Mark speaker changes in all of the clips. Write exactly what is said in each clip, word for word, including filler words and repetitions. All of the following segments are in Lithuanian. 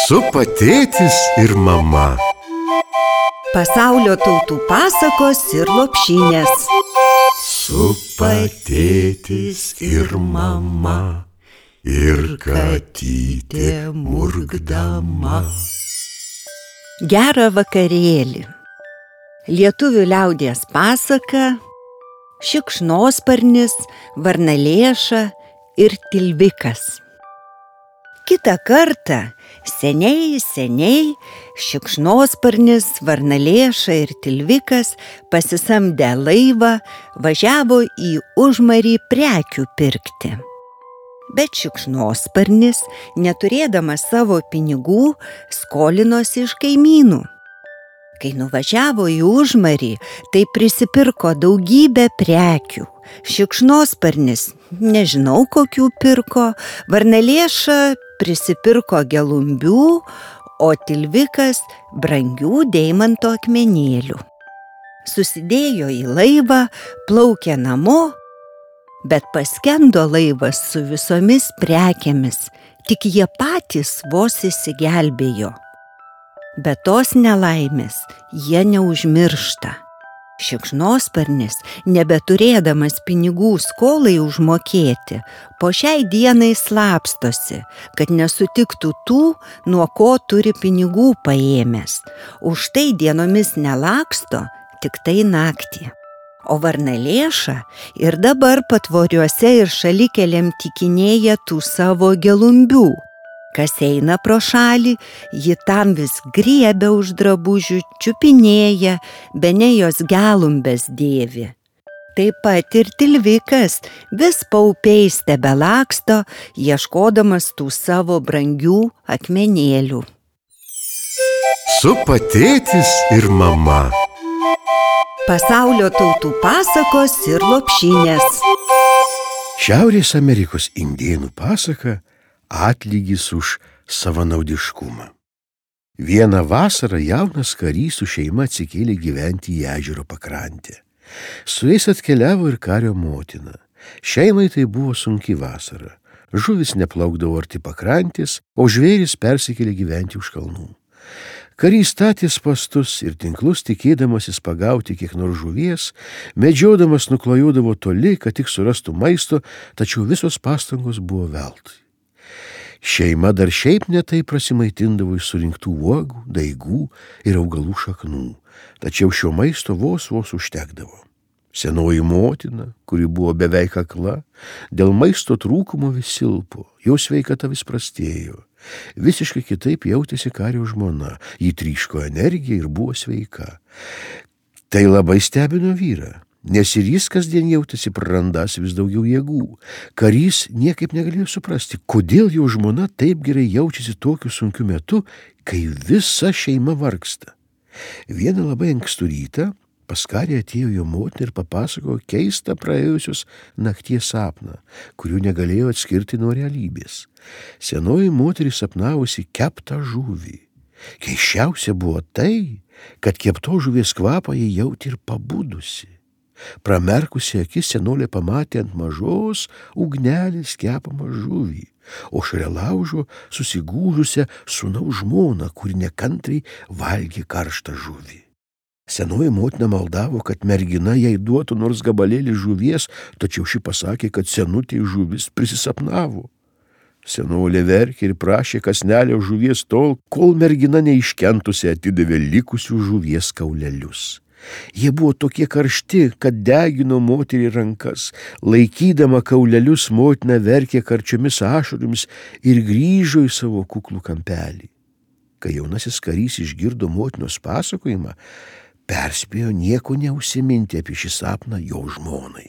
Speaker 1: Supa tėtis ir mama.
Speaker 2: Pasaulio tautų pasakos ir lopšinės.
Speaker 1: Supa tėtis ir mama, ir katytė murkdama.
Speaker 2: Gerą vakarėlį. Lietuvių liaudies pasaka Šikšnosparnis, Varnalėša ir Tilvikas. Kitą kartą, seniai, seniai, Šikšnosparnis, Varnalėša ir Tilvikas pasisamdę laivą važiavo į Užmarį prekių pirkti. Bet Šikšnosparnis, neturėdamas savo pinigų, skolinosi iš kaimynų. Kai nuvažiavo į Užmarį, tai prisipirko daugybę prekių. Šikšnosparnis nežinau kokių pirko, Varnalėša prisipirko gelumbių, o Tilvikas brangių deimanto akmenėlių. Susidėjo į laivą, plaukė namo, bet paskendo laivas su visomis prekėmis, tik jie patys vos įsigelbėjo. Be tos nelaimės jie neužmiršta. Šikšnosparnis, nebeturėdamas pinigų skolai užmokėti, po šiai dienai slapstosi, kad nesutiktų tų, nuo ko turi pinigų paėmęs. Už tai dienomis nelaksto, tik tai naktį. O Varnalėša ir dabar patvoriuose ir šalikelėm tikinėja tų savo gelumbių. Kas eina pro šalį, ji tam vis griebia už drabužių, čiupinėja, bene jos gelumbes dėvi. Taip pat ir Tilvikas vis paupiais tebelaksto, ieškodamas tų savo brangių akmenėlių.
Speaker 1: Supa tėtis ir mama.
Speaker 2: Pasaulio tautų pasakos ir lopšinės.
Speaker 3: Šiaurės Amerikos indėnų pasaka Atlygis už savanaudiškumą. Vieną vasarą jaunas karys su šeima atsikėlė gyventi į ežero pakrantę. Su jais atkeliavo ir kario motina. Šeimai tai buvo sunki vasara. Žuvis neplaukdavo arti pakrantės, o žvėris persikėlė gyventi už kalnų. Karys statė spastus ir tinklus, tikėdamasis pagauti kiek nors žuvies, medžiodamas nuklajodavo toli, kad tik surastų maisto, tačiau visos pastangos buvo veltui. Šeima dar šiaip netai prasimaitindavo iš surinktų uogų, daigų ir augalų šaknų, tačiau šio maisto vos vos užtekdavo. Senoji motina, kuri buvo beveik akla, dėl maisto trūkumo vis silpo, jos sveikata vis prastėjo. Visiškai kitaip jautėsi kario žmona, ji tryško energiją ir buvo sveika. Tai labai stebino vyrą, nes ir jis kasdien jautėsi prarandąs vis daugiau jėgų. Karys niekaip negalėjo suprasti, kodėl jo žmona taip gerai jaučiasi tokiu sunkiu metu, kai visa šeima vargsta. Vieną labai ankstų rytą pas karį atėjo jo motina ir papasakojo keistą praėjusios nakties sapną, kurių negalėjo atskirti nuo realybės. Senoji moteris sapnavusi keptą žuvį. Keisčiausia buvo tai, kad kepto žuvies kvapą jie jautė ir pabudusi. Pramerkusi akis senolė pamatė ant mažos ugnelės kepamą žuvį, o šalia laužo susigūžusią sūnaus žmoną, kuri nekantriai valgė karštą žuvį. Senoji motina maldavo, kad mergina jai duotų nors gabalėlį žuvies, tačiau ši pasakė, kad senutė žuvis prisisapnavo. Senolė verkė ir prašė kąsnelio žuvies tol, kol mergina neiškentusi atidavė likusių žuvies kaulelius. Jie buvo tokie karšti, kad degino moterį rankas. Laikydama kaulelius, motina verkė karčiomis ašaromis ir grįžo į savo kuklų kampelį. Kai jaunasis karys išgirdo motinos pasakojimą, perspėjo nieko neužsiminti apie šį sapną jo žmonai.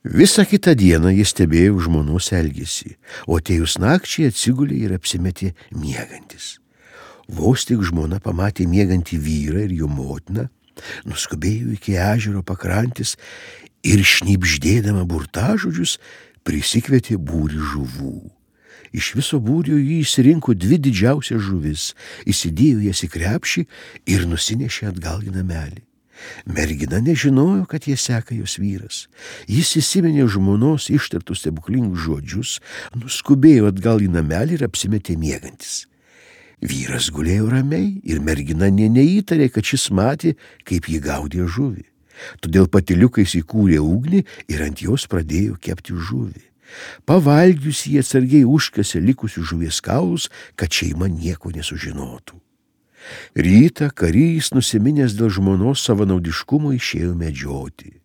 Speaker 3: Visą kitą dieną jis stebėjo žmonos elgesį, o atėjus nakčiai atsigulė ir apsimetė miegantis. Vos tik žmona pamatė miegantį vyrą ir jo motiną, nuskubėjo iki ežero pakrantės ir šnibždėdama burtažodžius prisikvietė būrį žuvų. Iš viso būrio jį išsirinko dvi didžiausias žuvis, įsidėjo jas į krepšį ir nusinešė atgal į namelį. Mergina nežinojo, kad jie seka jos vyras. Jis įsiminė žmonos ištartus stebuklingus žodžius, nuskubėjo atgal į namelį ir apsimetė miegantis. Vyras gulėjo ramiai ir mergina nė neįtarė, kad šis matė, kaip jį gaudė žuvį. Todėl patyliukais įkūrė ugnį ir ant jos pradėjo kepti žuvį. Pavalgius jie atsargiai užkasė likusius žuvies kaulus, kad šeima nieko nesužinotų. Rytą karys, nusiminęs dėl žmonos savanaudiškumo, išėjo medžioti.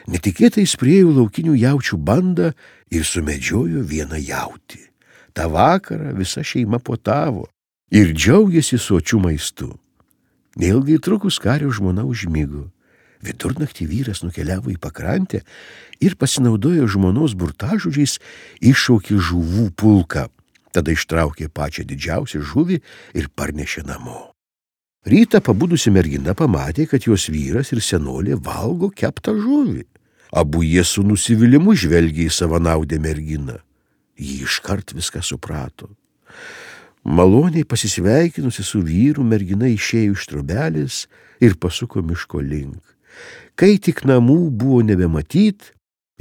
Speaker 3: Netikėtai jis priėjo laukinių jaučių bandą ir sumedžiojo vieną jautį. Ta vakarą visa šeima puotavo ir džiaugėsi sočiu maistu. Neilgai trukus kario žmona užmigo. Vidurnaktį vyras nukeliavo į pakrantę ir pasinaudojo žmonos burtažodžiais iššaukė žuvų pulką. Tada ištraukė pačią didžiausią žuvį ir parnešė namo. Rytą pabudusi mergina pamatė, kad jos vyras ir senolė valgo keptą žuvį. Abu jie su nusivylimu žvelgė į savanaudę merginą. Ji iškart viską suprato. Maloniai pasisveikinusi su vyru, mergina išėjo iš trobelės ir pasuko miško link. Kai tik namų buvo nebematyt,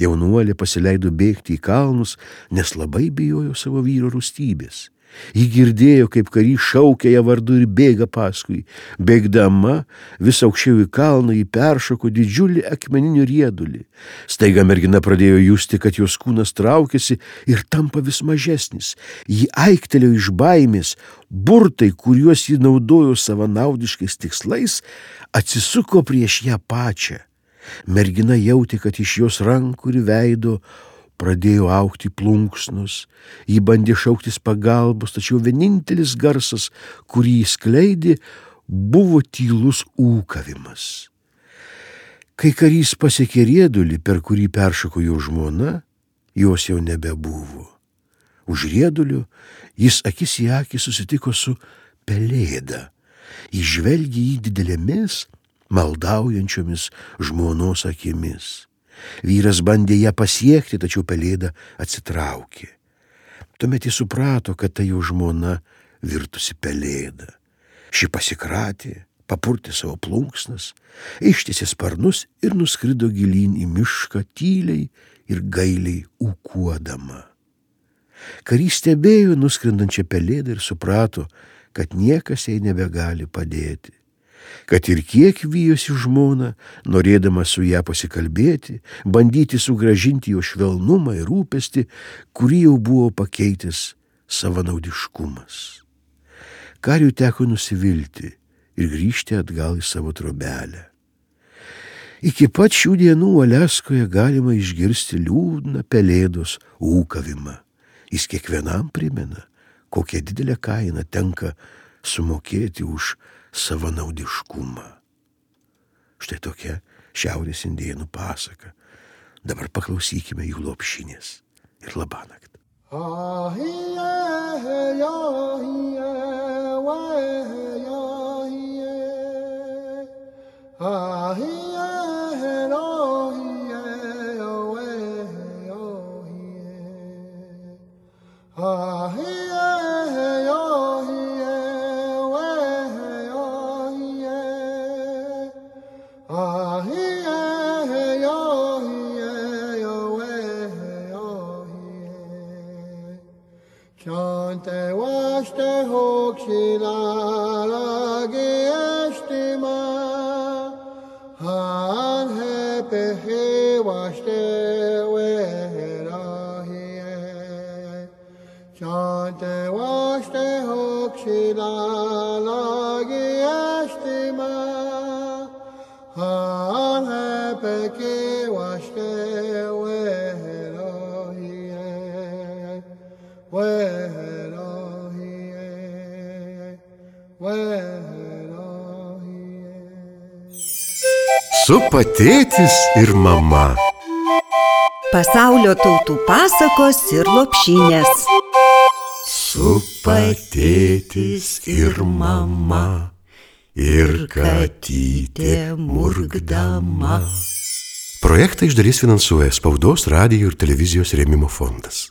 Speaker 3: jaunuolė pasileido bėgti į kalnus, nes labai bijojo savo vyro rūstybės. Ji girdėjo, kaip karys šaukia ją vardu ir bėga paskui. Bėgdama vis aukščiau į kalną ji peršoko didžiulį akmeninį riedulį. Staiga mergina pradėjo justi, kad jos kūnas traukiasi ir tampa vis mažesnis. Ji aiktelėjo iš baimės. Burtai, kuriuos ji naudojo savanaudiškais tikslais, atsisuko prieš ją pačią. Mergina jautė, kad iš jos rankų ir veido pradėjo augti plunksnos. Ji bandė šauktis pagalbos, tačiau vienintelis garsas, kurį jis skleidė, buvo tylus ūkavimas. Kai karys pasiekė riedulį, per kurį peršoko jo žmona, jos jau nebebuvo. Už riedulio jis akis į akį susitiko su pelėda. Jis žvelgė jį didelėmis, maldaujančiomis žmonos akimis. Vyras bandė ją pasiekti, tačiau pelėda atsitraukė. Tuomet jis suprato, kad tai jo žmona virtusi pelėda. Ši pasikratė, papurtė savo plunksnas, ištiesė sparnus ir nuskrido gilyn į mišką tyliai ir gailiai ūkuodama. Karys stebėjo nuskrendančią pelėdą ir suprato, kad niekas jai nebegali padėti. Kad ir kiek vijosi žmona, norėdama su ją pasikalbėti, bandyti sugrąžinti jo švelnumą ir rūpestį, kurį jau buvo pakeitęs savanaudiškumas. Kariui teko nusivilti ir grįžti atgal į savo trobelę. Iki pat šių dienų Aliaskoje galima išgirsti liūdną pelėdos ūkavimą. Jis kiekvienam primena, kokią didelę kainą tenka sumokėti už savanaudiškumą. Štai tokia šiaurės indėnų pasaka. Dabar paklausykime jų lopšinės ir labanakt.
Speaker 4: Chante waste hokshila lage estima han he pehe waste wehrahiye Chante waste hokshila lage estima han he pehe waste wehrahiye Wehrahiye, wehrahiye.
Speaker 1: Supa tėtis ir mama.
Speaker 2: Pasaulio tautų pasakos ir lopšinės.
Speaker 1: Supa tėtis ir mama, ir katytė murkdama. Projektą iš dalies finansuoja Spaudos, radijo ir televizijos rėmimo fondas.